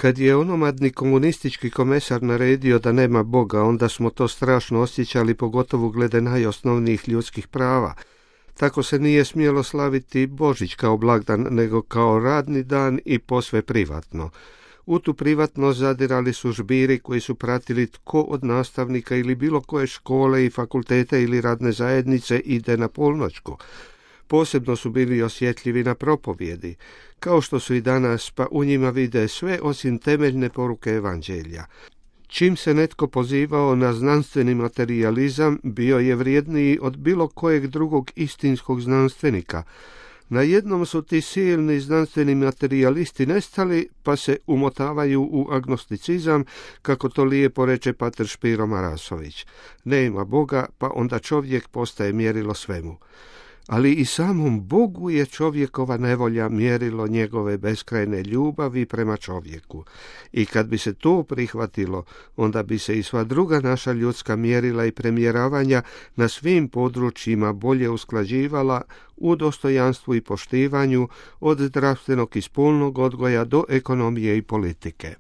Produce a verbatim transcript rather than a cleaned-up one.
Kad je onomadni komunistički komesar naredio da nema Boga, onda smo to strašno osjećali, pogotovo glede najosnovnijih ljudskih prava. Tako se nije smjelo slaviti Božić kao blagdan, nego kao radni dan i posve privatno. U tu privatnost zadirali su žbiri koji su pratili tko od nastavnika ili bilo koje škole i fakultete ili radne zajednice ide na polnoćku. Posebno su bili osjetljivi na propovjedi, kao što su i danas, pa u njima vide sve osim temeljne poruke evanđelja. Čim se netko pozivao na znanstveni materijalizam, bio je vrijedniji od bilo kojeg drugog istinskog znanstvenika. Na jednom su ti silni znanstveni materijalisti nestali, pa se umotavaju u agnosticizam, kako to lijepo reče pater Špiro Marasović. Nema Boga, pa onda čovjek postaje mjerilo svemu. Ali i samom Bogu je čovjekova nevolja mjerilo njegove beskrajne ljubavi prema čovjeku. I kad bi se to prihvatilo, onda bi se i sva druga naša ljudska mjerila i premjeravanja na svim područjima bolje usklađivala u dostojanstvu i poštivanju, od zdravstvenog i spolnog odgoja do ekonomije i politike.